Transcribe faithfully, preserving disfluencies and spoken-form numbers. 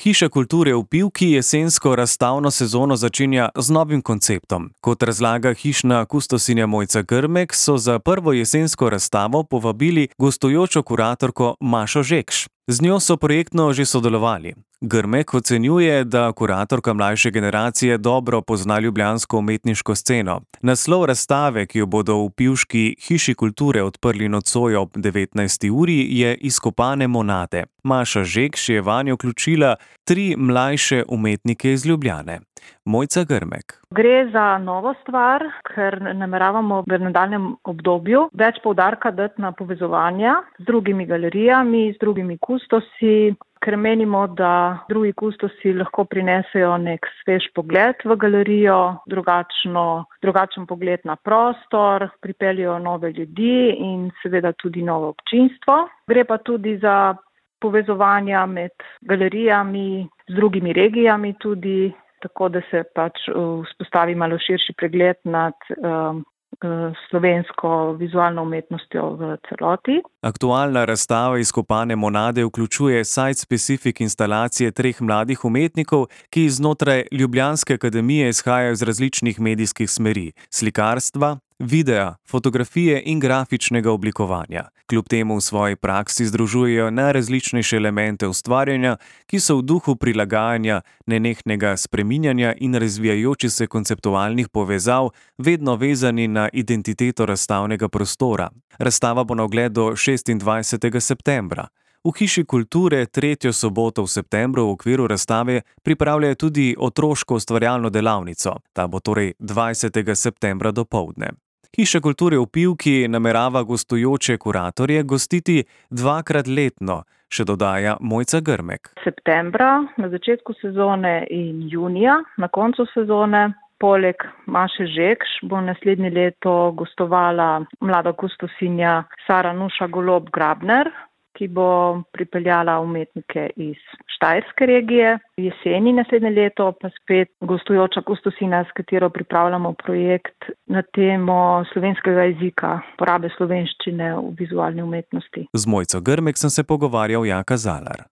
Hiša kulture v Pivki jesensko razstavno sezono začenja z novim konceptom. Kot razlaga hišna kustosinja Mojca Grmek, so za prvo jesensko razstavo povabili gostujočo kuratorko Mašo Žekš. Z njo so projektno že sodelovali. Grmek ocenjuje, da kuratorka mlajše generacije dobro pozna ljubljansko umetniško sceno. Naslov razstave, ki jo bodo v pivški hiši kulture odprli nocoj ob devetnajsti uri, je Izkopane monade. Maša Žekš je vanjo vključila tri mlajše umetnike iz Ljubljane. Mojca Grmek. Gre za novo stvar, ker nameravamo v nadaljnjem obdobju več poudarka dati na povezovanja z drugimi galerijami, z drugimi kustosi, ker menimo, da drugi kustosi lahko prinesejo nek svež pogled v galerijo, drugačno, drugačen pogled na prostor, pripeljejo nove ljudi in seveda tudi novo občinstvo. Gre pa tudi za povezovanja med galerijami, z drugimi regijami tudi, tako da se pač vzpostavi malo širši pregled nad um, slovensko vizualno umetnostjo v celoti. Aktualna razstava Izkopane monade vključuje site-specific instalacije treh mladih umetnikov, ki znotraj Ljubljanske akademije izhajajo iz različnih medijskih smeri: slikarstva, videa, fotografije in grafičnega oblikovanja. Kljub temu v svoji praksi združujejo najrazličnejše elemente ustvarjanja, ki so v duhu prilagajanja, nenehnega spreminjanja in razvijajočih se konceptualnih povezav vedno vezani na identiteto razstavnega prostora. Razstava bo na ogled do šestindvajsetega septembra. V Hiši kulture tretjo soboto v septembru v okviru razstave pripravljajo tudi otroško ustvarjalno delavnico. Ta bo torej dvajsetega septembra dopoldne. Hiša kulture v Pivki namerava gostujoče kuratorje gostiti dvakrat letno, še dodaja Mojca Grmek. Septembra na začetku sezone in junija na koncu sezone. Poleg Maše Žekš bo naslednje leto gostovala mlada kustosinja Sara Nuša Golob Grabner, ki bo pripeljala umetnike iz Štajerske regije. Jeseni naslednje leto pa spet gostujoča kustosina, s katero pripravljamo projekt na temo slovenskega jezika, porabe slovenščine v vizualni umetnosti. Z Mojco Grmek sem se pogovarjal Jaka Zalar.